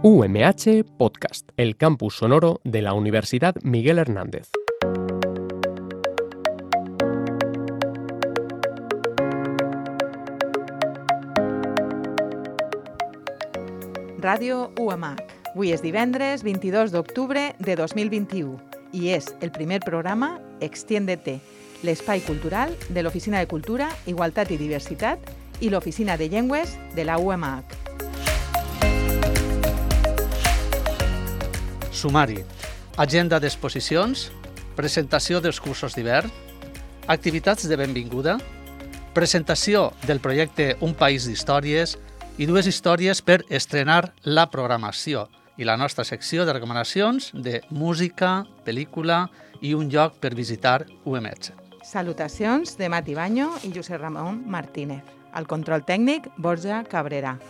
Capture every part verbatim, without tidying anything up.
U M H Podcast, el campus sonoro de la Universidad Miguel Hernández. Ràdio U M H. Avui és divendres vint-i-dos d'octubre de dos mil vint-i-u i és el primer programa Extiéndete, l'espai cultural de l'Oficina de Cultura, Igualtat i Diversitat i l'Oficina de Llengües de la U M H. Sumari. Agenda d'exposicions, presentació dels cursos d'hivern, activitats de benvinguda, presentació del projecte Un País d'Històries i dues històries per estrenar la programació i la nostra secció de recomanacions de música, pel·lícula i un lloc per visitar U M H. Salutacions de Mati Baño i Josep Ramon Martínez. Al control tècnic, Borja Cabrera.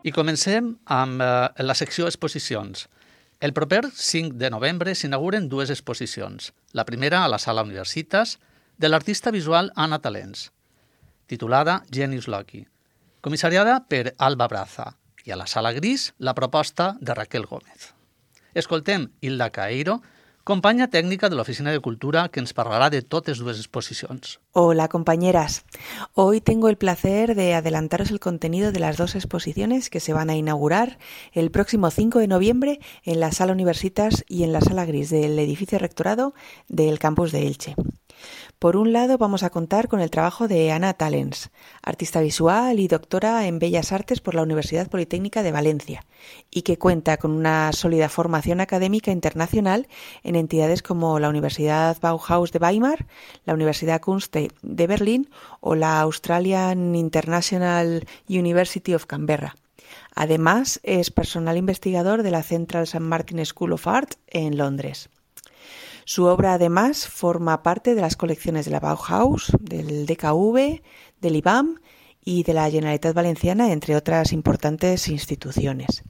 I comencem amb eh, la secció exposicions. El proper cinc de novembre s'inauguren dues exposicions. La primera a la Sala Universitas, de l'artista visual Anna Talens, titulada Genius Loci, comissariada per Alba Braza, i a la Sala Gris, la proposta de Raquel Gómez. Escoltem Hilda Caeiro, companya tècnica de l'Oficina de Cultura, que ens parlarà de totes dues exposicions. Hola compañeras, hoy tengo el placer de adelantaros el contenido de las dos exposiciones que se van a inaugurar el próximo cinco de noviembre en la Sala Universitas y en la Sala Gris del edificio rectorado del campus de Elche. Por un lado vamos a contar con el trabajo de Anna Talens, artista visual y doctora en Bellas Artes por la Universidad Politécnica de Valencia, y que cuenta con una sólida formación académica internacional en entidades como la Universidad Bauhaus de Weimar, la Universidad Kunste de Berlín o la Australian International University of Canberra. Además, es personal investigador de la Central Saint Martin School of Art en Londres. Su obra, además, forma parte de las colecciones de la Bauhaus, del D K V, del I B A M y de la Generalitat Valenciana, entre otras importantes instituciones.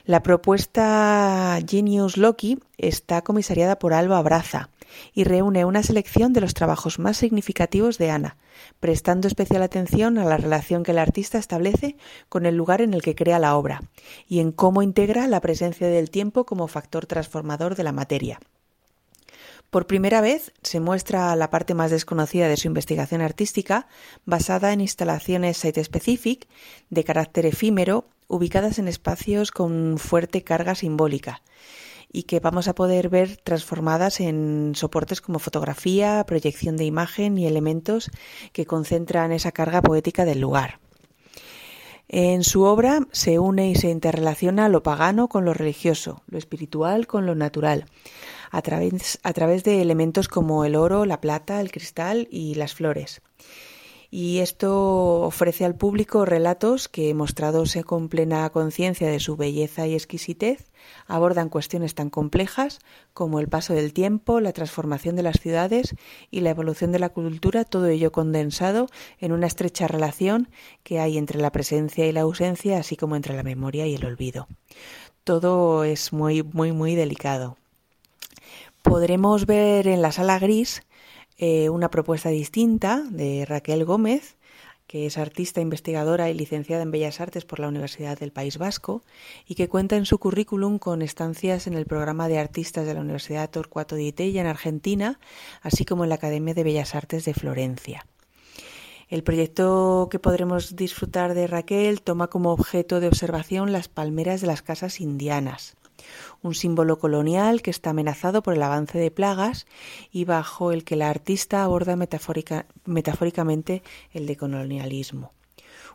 La propuesta Genius Loci está comisariada por Alba Braza y reúne una selección de los trabajos más significativos de Anna, prestando especial atención a la relación que el artista establece con el lugar en el que crea la obra y en cómo integra la presencia del tiempo como factor transformador de la materia. Por primera vez se muestra la parte más desconocida de su investigación artística, basada en instalaciones site-specific de carácter efímero, ubicadas en espacios con fuerte carga simbólica, y que vamos a poder ver transformadas en soportes como fotografía, proyección de imagen y elementos que concentran esa carga poética del lugar. En su obra se une y se interrelaciona lo pagano con lo religioso, lo espiritual con lo natural, a través, a través de elementos como el oro, la plata, el cristal y las flores. Y esto ofrece al público relatos que, mostrados con plena conciencia de su belleza y exquisitez, abordan cuestiones tan complejas como el paso del tiempo, la transformación de las ciudades y la evolución de la cultura, todo ello condensado en una estrecha relación que hay entre la presencia y la ausencia, así como entre la memoria y el olvido. Todo es muy, muy, muy delicado. Podremos ver en la Sala Gris eh, una propuesta distinta de Raquel Gómez, que es artista, investigadora y licenciada en Bellas Artes por la Universidad del País Vasco y que cuenta en su currículum con estancias en el programa de artistas de la Universidad Torcuato Di Tella en Argentina, así como en la Academia de Bellas Artes de Florencia. El proyecto que podremos disfrutar de Raquel toma como objeto de observación las palmeras de las casas indianas, un símbolo colonial que está amenazado por el avance de plagas y bajo el que la artista aborda metafórica, metafóricamente el decolonialismo.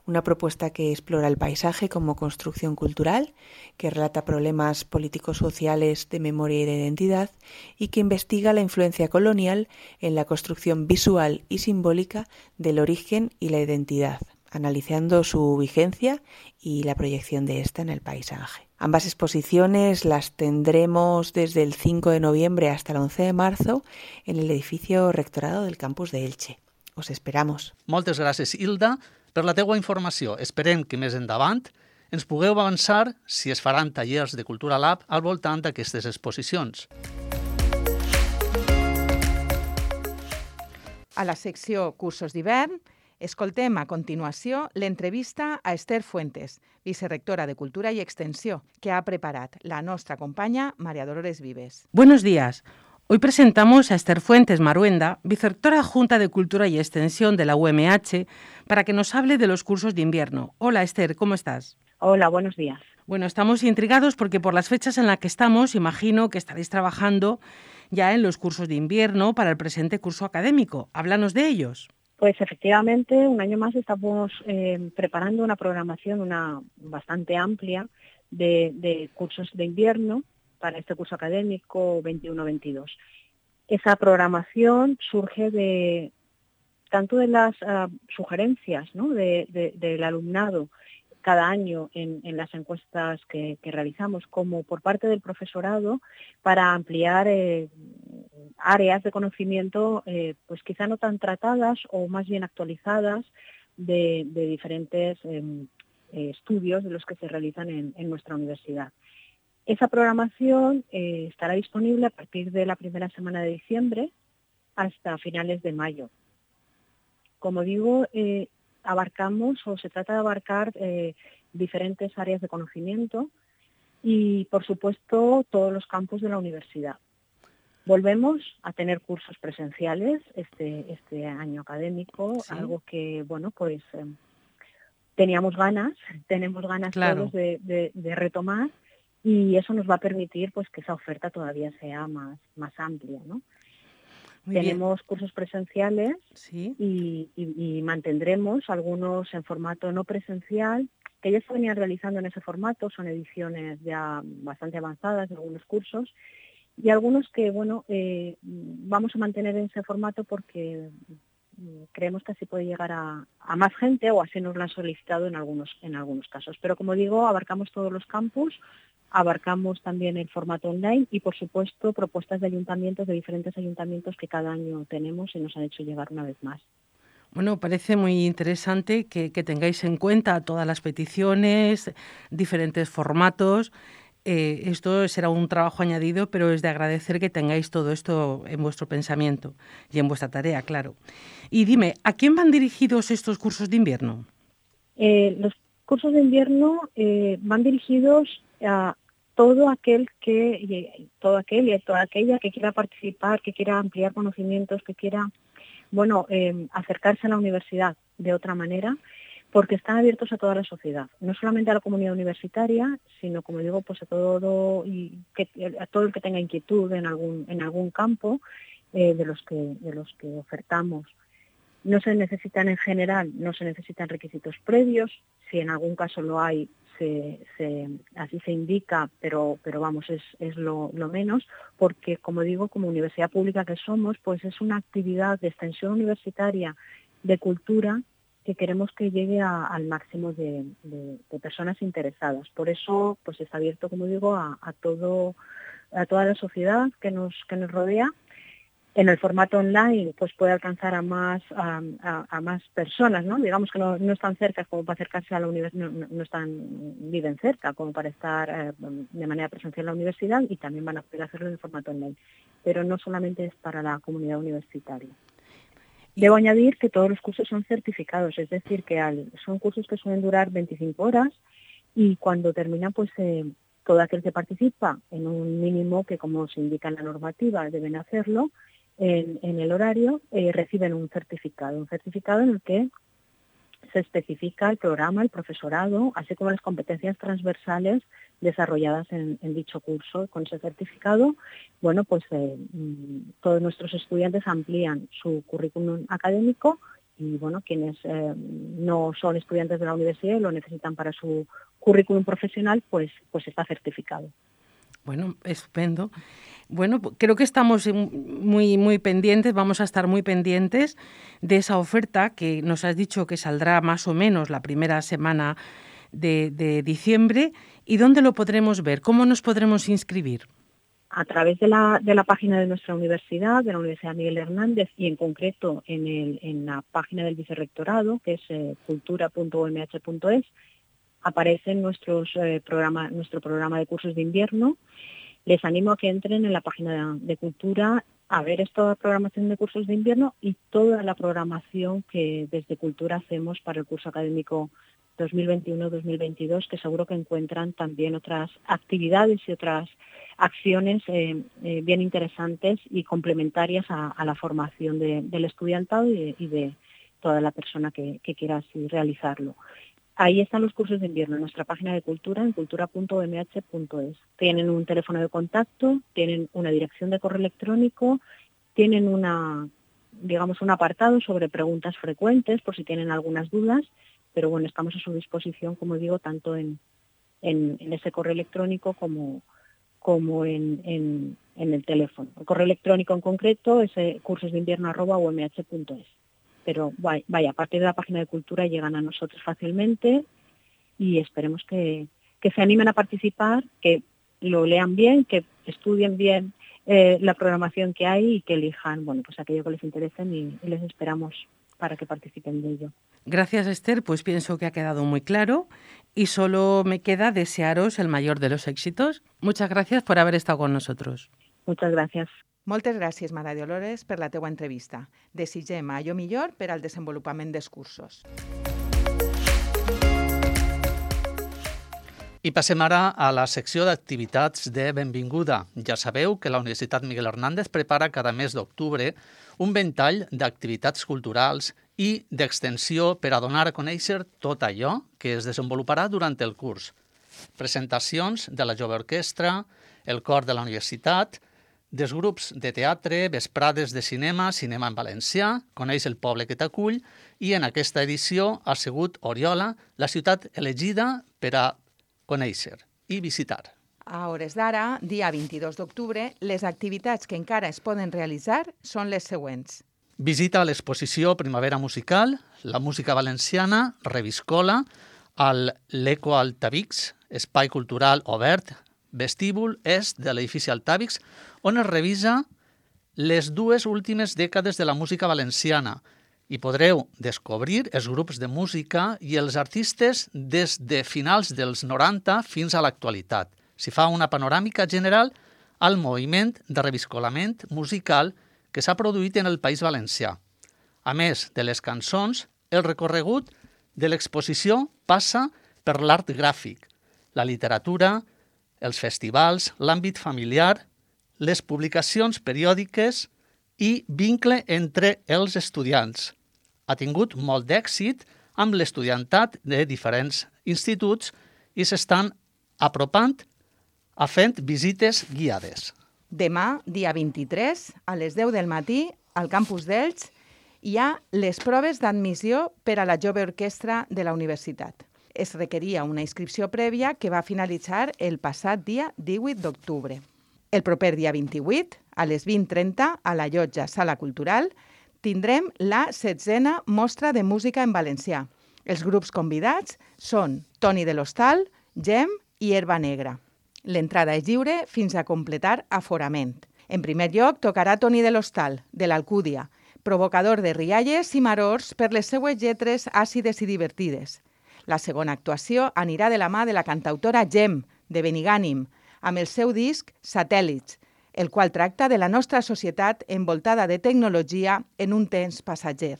Una propuesta que explora el paisaje como construcción cultural, que relata problemas políticos sociales de memoria y de identidad y que investiga la influencia colonial en la construcción visual y simbólica del origen y la identidad, analizando su vigencia y la proyección de esta en el paisaje. Ambas exposiciones las tendremos desde el cinco de noviembre hasta el once de marzo en el edificio rectorado del campus de Elche. Os esperamos. Moltes gràcies, Hilda, per la teua informació. Esperem que més endavant ens pugueu avançar si es faran tallers de Cultura Lab al voltant d'aquestes exposicions. A la secció Cursos d'hivern, escoltem a continuació l'entrevista a Esther Fuentes, vicerrectora de Cultura y Extensión, que ha preparat la nostra companya María Dolores Vives. Buenos días. Hoy presentamos a Esther Fuentes Maruenda, vicerrectora adjunta de Cultura y Extensión de la U M H, para que nos hable de los cursos de invierno. Hola Esther, ¿cómo estás? Hola, buenos días. Bueno, estamos intrigados porque por las fechas en las que estamos, imagino que estaréis trabajando ya en los cursos de invierno para el presente curso académico. Háblanos de ellos. Pues efectivamente, un año más estamos eh, preparando una programación una bastante amplia de, de cursos de invierno para este curso académico veintiuno veintidós. Esa programación surge de tanto de las uh, sugerencias, ¿no?, de, de, del alumnado cada año en, en las encuestas que, que realizamos, como por parte del profesorado para ampliar eh, áreas de conocimiento, eh, pues quizá no tan tratadas o más bien actualizadas de, de diferentes eh, estudios de los que se realizan en, en nuestra universidad. Esa programación eh, estará disponible a partir de la primera semana de diciembre hasta finales de mayo. Como digo, eh, abarcamos o se trata de abarcar eh, diferentes áreas de conocimiento y, por supuesto, todos los campus de la universidad. Volvemos a tener cursos presenciales este, este año académico, ¿sí?, algo que, bueno, pues eh, teníamos ganas, tenemos ganas claro. todos de, de, de retomar, y eso nos va a permitir pues que esa oferta todavía sea más, más amplia, ¿no? Muy Tenemos bien. cursos presenciales, ¿sí?, y, y, y mantendremos algunos en formato no presencial, que ya se venían realizando en ese formato, son ediciones ya bastante avanzadas de algunos cursos, y algunos que, bueno, eh, vamos a mantener en ese formato porque creemos que así puede llegar a, a más gente, o así nos lo han solicitado en algunos, en algunos casos. Pero, como digo, abarcamos todos los campus, abarcamos también el formato online y, por supuesto, propuestas de ayuntamientos, de diferentes ayuntamientos que cada año tenemos y nos han hecho llegar una vez más. Bueno, parece muy interesante que, que tengáis en cuenta todas las peticiones, diferentes formatos. Eh, esto será un trabajo añadido, pero es de agradecer que tengáis todo esto en vuestro pensamiento y en vuestra tarea, claro. Y dime, ¿a quién van dirigidos estos cursos de invierno? Eh, los cursos de invierno eh, van dirigidos a todo aquel que todo aquel y toda aquella que quiera participar, que quiera ampliar conocimientos, que quiera, bueno, eh, acercarse a la universidad de otra manera, porque están abiertos a toda la sociedad, no solamente a la comunidad universitaria, sino, como digo, pues a todo y que, a todo el que tenga inquietud en algún en algún campo eh, de los que de los que ofertamos. No se necesitan en general, no se necesitan requisitos previos, si en algún caso lo hay, se, se, así se indica, pero, pero vamos, es, es lo, lo menos, porque, como digo, como universidad pública que somos, pues es una actividad de extensión universitaria, de cultura, que queremos que llegue a, al máximo de, de, de personas interesadas. Por eso, pues está abierto, como digo, a, a todo, a toda la sociedad que nos, que nos rodea. En el formato online, pues puede alcanzar a más a, a, a más personas, ¿no? Digamos que no, no están cerca como para acercarse a la universidad, no, no están, viven cerca como para estar eh, de manera presencial en la universidad, y también van a poder hacerlo en el formato online. Pero no solamente es para la comunidad universitaria. Debo añadir que todos los cursos son certificados, es decir, que al, son cursos que suelen durar veinticinco horas, y cuando terminan, pues eh, todo aquel que participa en un mínimo que, como se indica en la normativa, deben hacerlo, En, en el horario, eh, reciben un certificado, un certificado en el que se especifica el programa, el profesorado, así como las competencias transversales desarrolladas en, en dicho curso. Con ese certificado, bueno, pues eh, todos nuestros estudiantes amplían su currículum académico, y, bueno, quienes eh, no son estudiantes de la universidad y lo necesitan para su currículum profesional, pues, pues está certificado. Bueno, estupendo. Bueno, creo que estamos muy, muy pendientes, vamos a estar muy pendientes de esa oferta que nos has dicho que saldrá más o menos la primera semana de, de diciembre. ¿Y dónde lo podremos ver? ¿Cómo nos podremos inscribir? A través de la, de la página de nuestra universidad, de la Universidad Miguel Hernández, y en concreto en, el, en la página del vicerrectorado, que es eh, cultura punto u m h punto es, aparece nuestros, eh, programa, nuestro programa de cursos de invierno. les animo a que entren en la página de Cultura a ver esta programación de cursos de invierno y toda la programación que desde Cultura hacemos para el curso académico dos mil veintiuno dos mil veintidós, que seguro que encuentran también otras actividades y otras acciones eh, eh, bien interesantes y complementarias a, a la formación de, del estudiantado y de, y de toda la persona que, que quiera así realizarlo. Ahí están los cursos de invierno en nuestra página de Cultura, en cultura punto u m h punto es. Tienen un teléfono de contacto, tienen una dirección de correo electrónico, tienen una, digamos, un apartado sobre preguntas frecuentes por si tienen algunas dudas, pero bueno, estamos a su disposición, como digo, tanto en, en, en ese correo electrónico como, como en, en, en el teléfono. El correo electrónico en concreto es cursosdeinvierno arroba u m h punto es. Pero vaya, a partir de la página de Cultura llegan a nosotros fácilmente y esperemos que, que se animen a participar, que lo lean bien, que estudien bien eh, la programación que hay y que elijan, bueno, pues aquello que les interese y, y les esperamos para que participen de ello. Gracias, Esther, pues pienso que ha quedado muy claro y solo me queda desearos el mayor de los éxitos. Muchas gracias por haber estado con nosotros. Muchas gracias. Moltes gràcies, Mara Dolores, per la teua entrevista. Desitgem allò millor per al desenvolupament dels cursos. I passem ara a la secció d'activitats de benvinguda. Ja sabeu que la Universitat Miguel Hernández prepara cada mes d'octubre un ventall d'activitats culturals i d'extensió per a donar a conèixer tot allò que es desenvoluparà durant el curs. Presentacions de la Jove Orquestra, el cor de la universitat, dels grups de teatre, vesprades de cinema, cinema en valencià, coneix el poble que t'acull i en aquesta edició ha sigut Oriola, la ciutat elegida per a conèixer i visitar. A hores d'ara, dia vint-i-dos d'octubre, les activitats que encara es poden realitzar són les següents. Visita l'exposició Primavera Musical, la música valenciana, Reviscola, al l'Eco Altavix, espai cultural obert, vestíbul est de l'edifici Altavix, on es revisa les dues últimes dècades de la música valenciana i podreu descobrir els grups de música i els artistes des de finals dels noranta fins a l'actualitat. S'hi fa una panoràmica general al moviment de reviscolament musical que s'ha produït en el País Valencià. A més de les cançons, el recorregut de l'exposició passa per l'art gràfic, la literatura, els festivals, l'àmbit familiar, les publicacions periòdiques i vincle entre els estudiants. Ha tingut molt d'èxit amb l'estudiantat de diferents instituts i s'estan apropant a fent visites guiades. Demà, dia vint-i-tres, a les deu del matí, al campus d'Elx, hi ha les proves d'admissió per a la Jove Orquestra de la universitat. Es requeria una inscripció prèvia que va finalitzar el passat dia divuit d'octubre. El proper dia vint-i-vuit, a les vint trenta, a la llotja Sala Cultural, tindrem la setzena mostra de música en valencià. Els grups convidats són Toni de l'Hostal, Gem i Herba Negra. L'entrada és lliure fins a completar aforament. En primer lloc, tocarà Toni de l'Hostal, de l'Alcúdia, provocador de rialles i marors per les seues lletres àcides i divertides. La segona actuació anirà de la mà de la cantautora Gem, de Benigànim, amb el seu disc Satèl·lits, el qual tracta de la nostra societat envoltada de tecnologia en un temps passatger.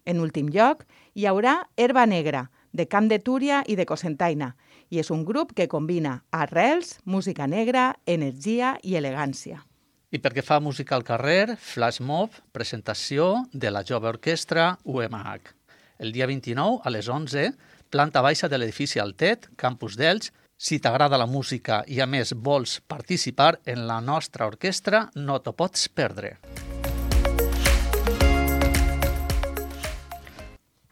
En últim lloc, hi haurà Herba Negra, de Camp de Túria i de Cocentaina, i és un grup que combina arrels, música negra, energia i elegància. I perquè fa música al carrer, flash mob, presentació de la Jove Orquestra U M H. El dia vint-i-nou, a les onze, planta baixa de l'edifici Altet, campus d'Elx. Si t'agrada la música i a més vols participar en la nostra orquestra, no t'ho pots perdre.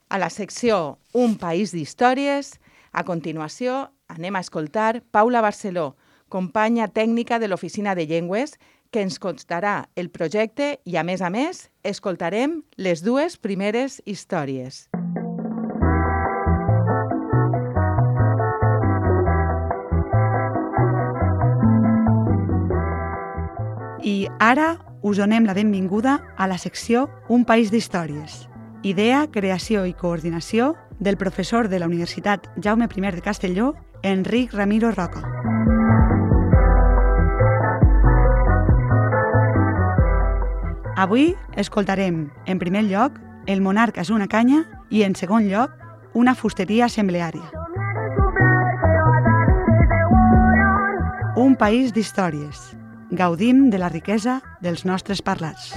A la secció Un país d'històries, a continuació anem a escoltar Paula Barceló, companya tècnica de l'Oficina de Llengües, que ens contarà el projecte i, a més a més, escoltarem les dues primeres històries. I ara us donem la benvinguda a la secció Un país d'històries. Idea, creació i coordinació del professor de la Universitat Jaume I de Castelló, Enric Ramiro Roca. Avui escoltarem, en primer lloc, El monarca és una canya i, en segon lloc, una fusteria assembleària. Un país d'històries. Gaudim de la riquesa dels nostres parlats.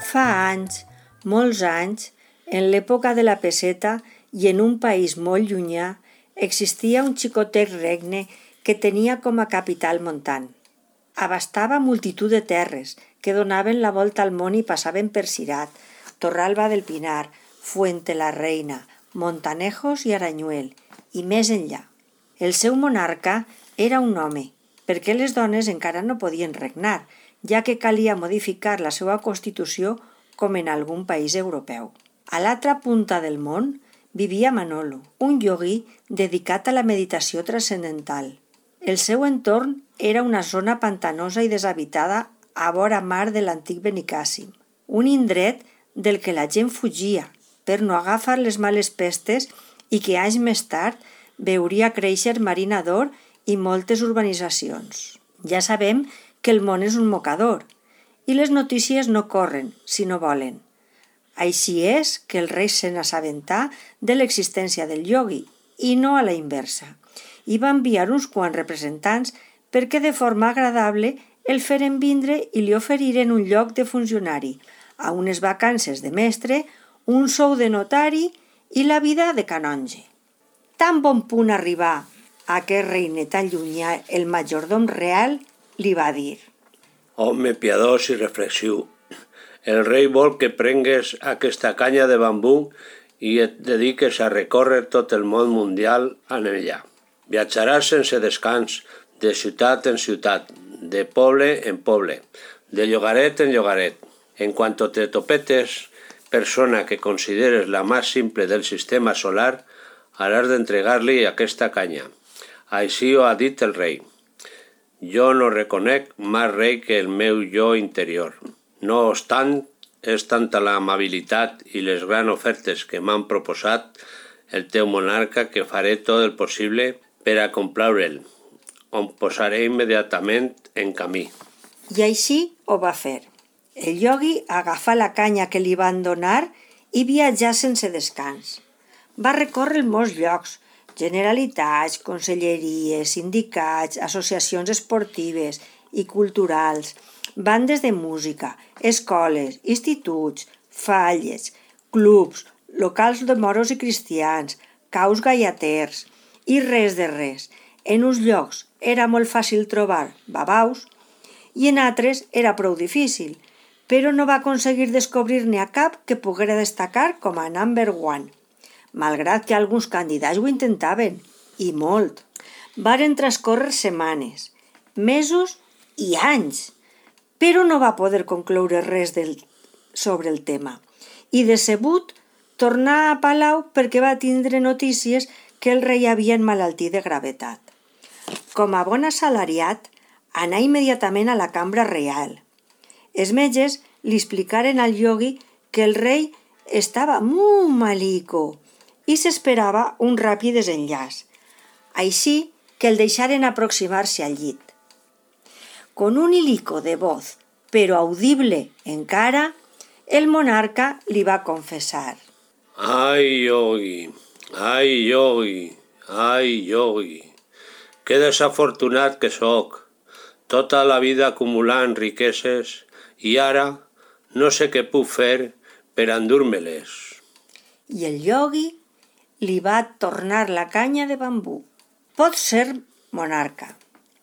Fa anys, molts anys, en l'època de la peseta i en un país molt llunyà, existia un xicotet regne que tenia com a capital Montant. Abastava multitud de terres que donaven la volta al món i passaven per Cirat, Torralba del Pinar, Fuente la Reina, Montanejos i Aranyuel, i més enllà. El seu monarca era un home, perquè les dones encara no podien regnar, ja que calia modificar la seva Constitució com en algun país europeu. A l'altra punta del món vivia Manolo, un iogui dedicat a la meditació transcendental. El seu entorn era una zona pantanosa i deshabitada a vora mar de l'antic Benicàssim, un indret del que la gent fugia per no agafar les males pestes i que anys més tard veuria créixer Marina d'Or i moltes urbanitzacions. Ja sabem que el món és un mocador i les notícies no corren si no volen. Així és que el rei se n'assabentà de l'existència del iogui i no a la inversa, i va enviar uns quants representants perquè de forma agradable el feren vindre i li oferiren un lloc de funcionari, a unes vacances de mestre, un sou de notari i la vida de canonge. Tan bon punt arribar a aquest regne tan llunyà, el majordom real li va dir: Home piadós i reflexiu, el rei vol que prengues aquesta canya de bambú i et dediques a recórrer tot el món mundial en ella. Viatjaràs sense descans, de ciutat en ciutat, de poble en poble, de llogaret en llogaret. En cuanto te topetes, persona que consideres la más simple del sistema solar, haràs d'entregar-li aquesta canya. Així ho ha dit el rei. Jo no reconec més rei que el meu jo interior. No obstant, és tanta l'amabilitat i les grans ofertes que m'han proposat el teu monarca que faré tot el possible per a complaure'l. Em posaré immediatament en camí. I així ho va fer. El iogui agafà la canya que li van donar i viatjà sense descans. Va recórrer molts llocs, generalitats, conselleries, sindicats, associacions esportives i culturals, bandes de música, escoles, instituts, falles, clubs, locals de moros i cristians, caus gallaters, i res de res. En uns llocs era molt fàcil trobar babaus i en altres era prou difícil, però no va aconseguir descobrir-ne a cap que poguera destacar com a number one, malgrat que alguns candidats ho intentaven, i molt. Varen transcórrer setmanes, mesos i anys, però no va poder concloure res del, sobre el tema, i decebut tornà a Palau perquè va tindre notícies que el rei havia emmalaltit de gravetat. Com a bon assalariat, anà immediatament a la cambra reial. Els metges li explicaren al iogui que el rei estava molt malico i s'esperava un ràpid desenllaç, així que el deixaren aproximar-se al llit. Con un hilico de voz, però audible encara, el monarca li va confessar: Ai, iogui, ai, iogui, ai, iogui, que desafortunat que sóc, tota la vida acumulant riqueses i ara no sé què puc fer per endur-me-les. I el iogui li va tornar la canya de bambú. Pots ser monarca,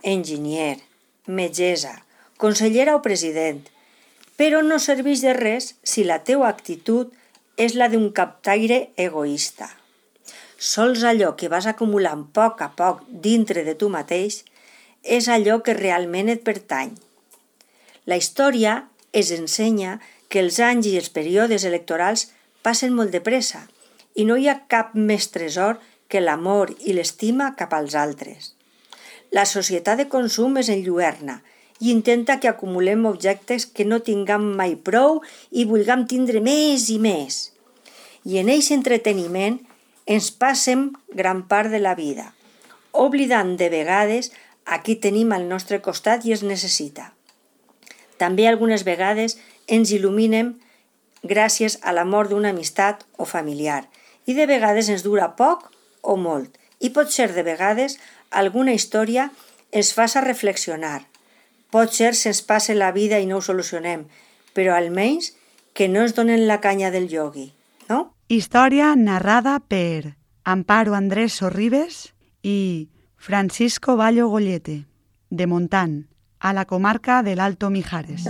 enginyer, metgessa, consellera o president, però no serveix de res si la teua actitud és la d'un captaire egoista. Sols allò que vas acumulant a poc a poc dintre de tu mateix és allò que realment et pertany. La història ens ensenya que els anys i els períodes electorals passen molt de pressa i no hi ha cap més tresor que l'amor i l'estima cap als altres. La societat de consum és enlluerna i intenta que acumulem objectes que no tinguem mai prou i vulguem tindre més i més. I en eixe entreteniment ens passem gran part de la vida, oblidant de vegades a qui tenim al nostre costat i es necessita. També algunes vegades ens il·luminem gràcies a l'amor d'una amistat o familiar i de vegades ens dura poc o molt i pot ser de vegades alguna història ens faça reflexionar. Pot ser se'ns passe la vida i no ho solucionem, però almenys que no ens donen la canya del iogui, no? Història narrada per Amparo Andrés Sorribes i Francisco Ballo Gollete, de Montant, a la comarca del Alto Mijares.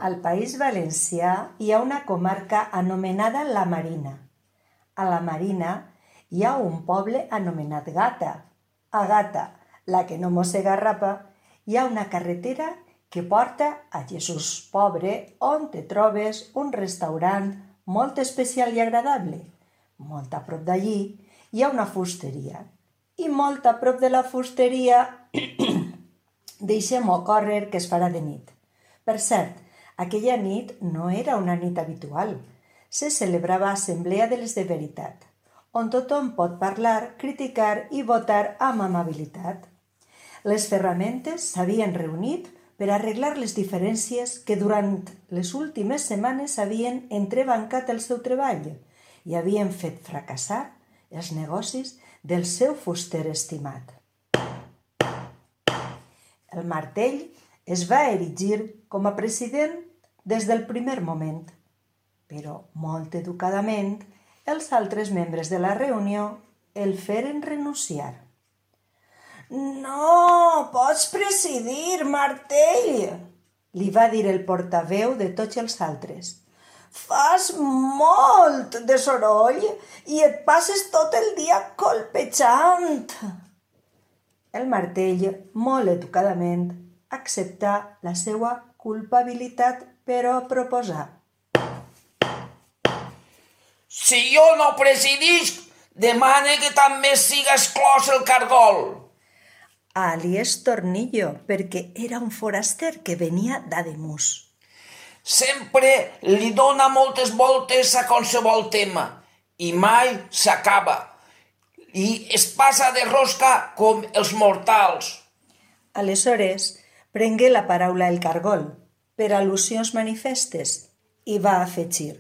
Al País Valencià hi ha una comarca anomenada La Marina. A La Marina hi ha un poble anomenat Gata. A Gata, la que no mossega rapa, hi ha una carretera que porta a Jesús Pobre, on te trobes un restaurant molt especial i agradable. Molt a prop d'allí hi ha una fusteria. I molt a prop de la fusteria deixem-ho córrer que es farà de nit. Per cert, aquella nit no era una nit habitual. Se celebrava Assemblea de les de Veritat, on tothom pot parlar, criticar i votar amb amabilitat. Les ferramentes s'havien reunit per arreglar les diferències que durant les últimes setmanes havien entrebancat el seu treball i havien fet fracassar els negocis del seu fuster estimat. El Martell es va erigir com a president des del primer moment, però molt educadament els altres membres de la reunió el feren renunciar. «No pots presidir, Martell!», li va dir el portaveu de tots els altres. «Fas molt de soroll i et passes tot el dia colpejant!» El Martell, molt educadament, acceptà la seva culpabilitat, però proposà. «Si jo no presidisc, demane que també siga exclòs el cargol!» Alies Tornillo, perquè era un foraster que venia d'Ademús. «Sempre li dona moltes voltes a qualsevol tema i mai s'acaba. I es passa de rosca com els mortals.» Aleshores, prengué la paraula el cargol, per al·lusions manifestes, i va afegir.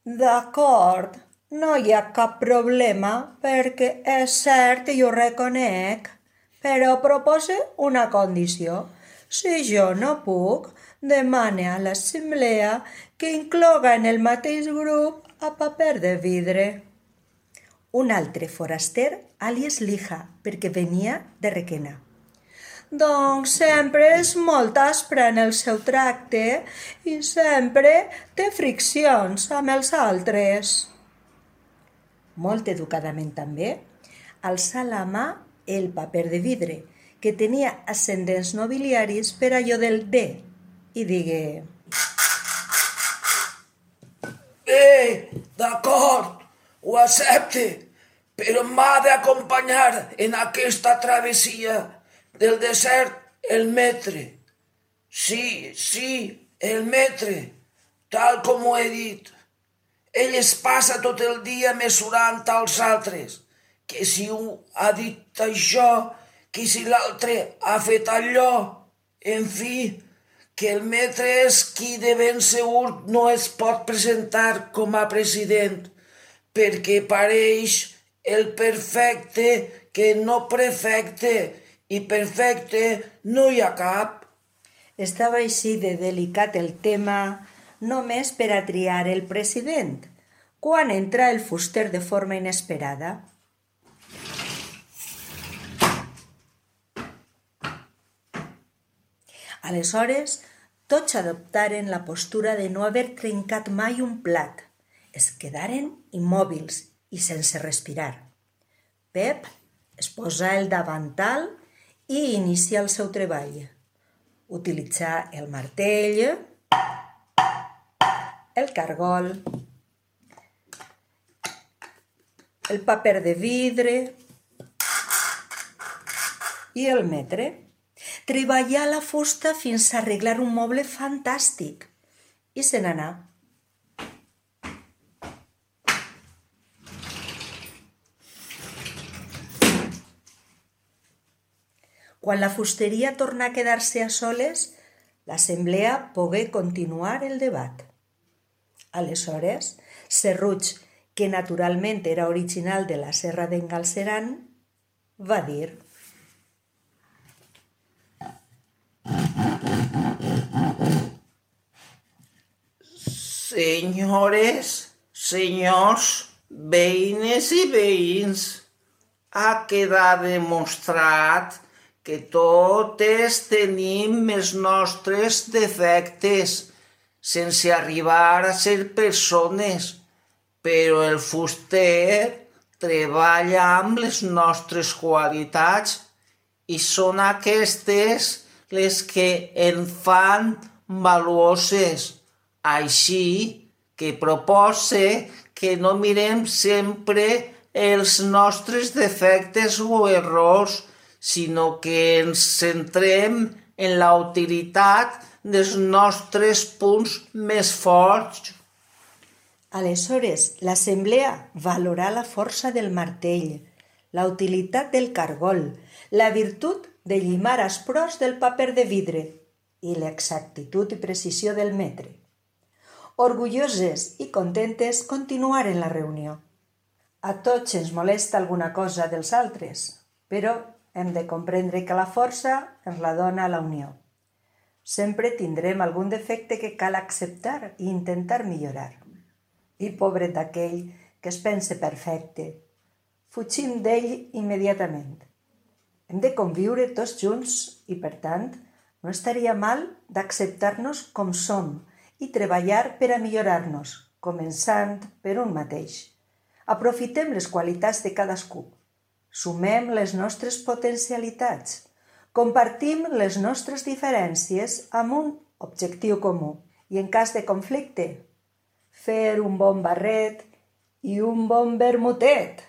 «D'acord, no hi ha cap problema, perquè és cert i ho reconec, però propose una condició. Si jo no puc, demane a l'assemblea que incloga en el mateix grup a Paper de Vidre.» Un altre foraster, àlies Lija, perquè venia de Requena. «Doncs sempre és molt aspre en el seu tracte i sempre té friccions amb els altres.» Molt educadament també, alçà la mà el Paper de Vidre, que tenia ascendents nobiliaris per allò del D, i digué: «Bé, d'acord, ho accepte, però m'ha d'acompanyar en aquesta travessia del desert el metre. Sí, sí, el metre, tal com ho he dit. Ell es passa tot el dia mesurant als altres, que si un ha dit això, que si l'altre ha fet allò, en fi, que el metre és qui de ben segur no es pot presentar com a president, perquè pareix el perfecte que no prefecte, i perfecte no hi ha cap.» Estava així de delicat el tema només per a triar el president, quan entra el fuster de forma inesperada. Aleshores, tots adoptaren la postura de no haver trencat mai un plat. Es quedaren immòbils i sense respirar. Pep es posà el davantal i inicià el seu treball. Utilitzà el martell, el cargol, el paper de vidre i el metre. Treballà la fusta fins a arreglar un moble fantàstic i se n'anà. Quan la fusteria torna a quedar-se a soles, l'assemblea pogué continuar el debat. Aleshores, Serruig, que naturalment era original de la Serra d'en Galceran, va dir: Senyores, senyors, veïnes i veïns, ha quedat demostrat que totes tenim els nostres defectes, sense arribar a ser persones, però el fuster treballa amb les nostres qualitats i són aquestes les que en fan valuoses. Així que propose que no mirem sempre els nostres defectes o errors, sinó que ens centrem en la utilitat dels nostres punts més forts. Aleshores, l'assemblea valorà la força del martell, la utilitat del cargol, la virtut de llimar asprós del paper de vidre i l'exactitud i precisió del metre. Orgulloses i contentes continuaren la reunió. A tots ens molesta alguna cosa dels altres, però hem de comprendre que la força ens la dona la unió. Sempre tindrem algun defecte que cal acceptar i intentar millorar. I pobret d'aquell que es pense perfecte, fugim d'ell immediatament. Hem de conviure tots junts i, per tant, no estaria mal d'acceptar-nos com som i treballar per a millorar-nos, començant per un mateix. Aprofitem les qualitats de cadascú, sumem les nostres potencialitats, compartim les nostres diferències amb un objectiu comú i, en cas de conflicte, fer un bon barret i un bon vermutet.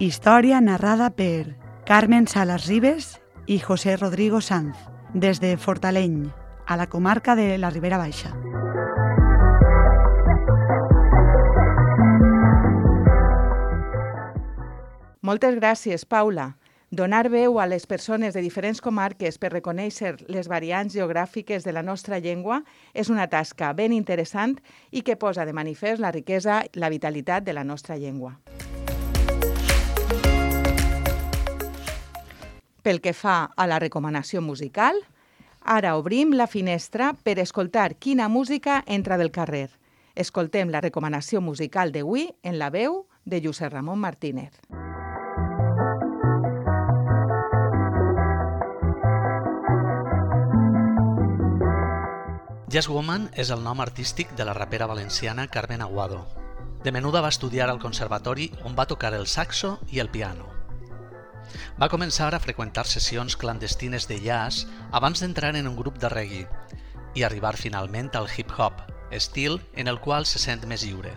Història narrada per Carmen Salas Ribes i José Rodrigo Sanz, des de Fortaleny, a la comarca de la Ribera Baixa. Moltes gràcies, Paula. Donar veu a les persones de diferents comarques per reconèixer les variants geogràfiques de la nostra llengua és una tasca ben interessant i que posa de manifest la riquesa i la vitalitat de la nostra llengua. Pel que fa a la recomanació musical, ara obrim la finestra per escoltar quina música entra del carrer. Escoltem la recomanació musical d'avui en la veu de Josep Ramon Martínez. Jazz Woman és el nom artístic de la rapera valenciana Carmen Aguado. De menuda va estudiar al conservatori on va tocar el saxo i el piano. Va començar a freqüentar sessions clandestines de jazz abans d'entrar en un grup de reggae i arribar finalment al hip-hop, estil en el qual se sent més lliure.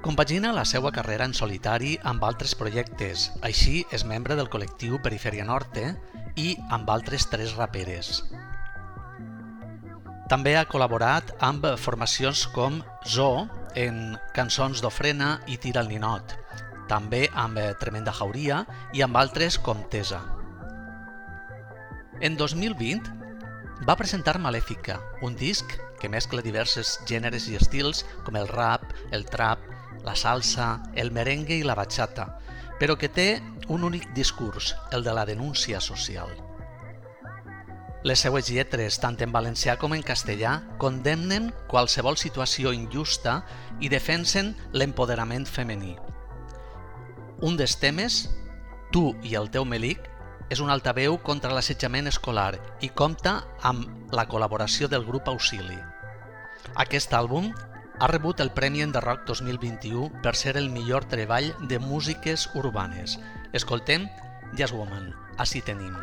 Compagina la seva carrera en solitari amb altres projectes, així és membre del col·lectiu Perifèria Norte i amb altres tres raperes. També ha col·laborat amb formacions com Zoo en Cançons d'Ofrena i Tira el Ninot, també amb Tremenda Jauria i amb altres com Tesa. En dos mil vint va presentar Malèfica, un disc que mescla diversos gèneres i estils com el rap, el trap, la salsa, el merengue i la bachata, però que té un únic discurs, el de la denúncia social. Les seues lletres, tant en valencià com en castellà, condemnen qualsevol situació injusta i defensen l'empoderament femení. Un dels temes, Tu i el teu melic, és un altaveu contra l'assetjament escolar i compta amb la col·laboració del grup Auxili. Aquest àlbum ha rebut el Premi Enderrock dos mil vint-i-u per ser el millor treball de músiques urbanes. Escoltem Jazz Woman, Així tenim.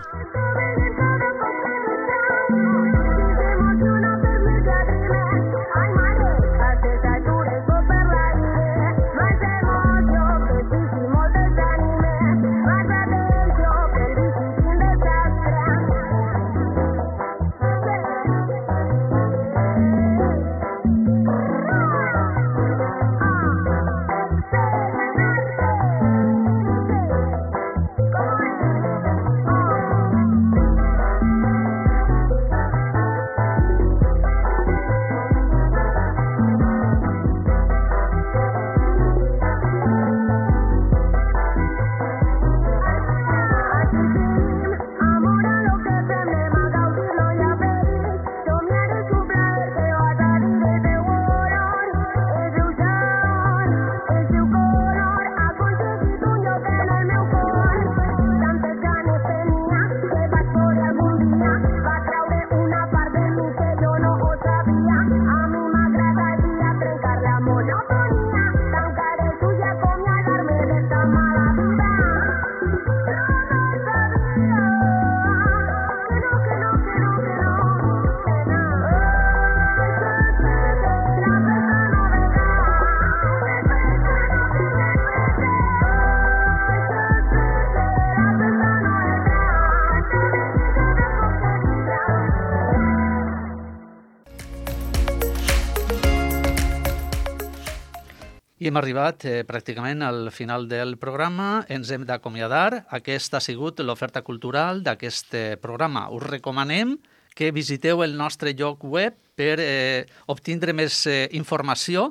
I hem arribat eh, pràcticament al final del programa. Ens hem d'acomiadar. Aquesta ha sigut l'oferta cultural d'aquest programa. Us recomanem que visiteu el nostre lloc web per eh, obtindre més eh, informació,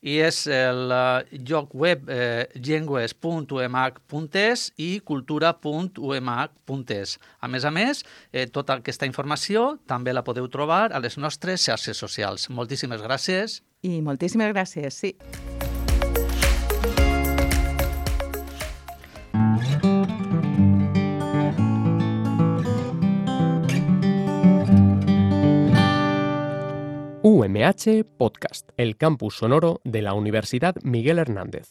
i és el eh, lloc web eh, llengües punt u m h punt e s i cultura punt u m h punt e s. A més a més, eh, tota aquesta informació també la podeu trobar a les nostres xarxes socials. Moltíssimes gràcies. I moltíssimes gràcies, sí. U M H Podcast, el campus sonoro de la Universidad Miguel Hernández.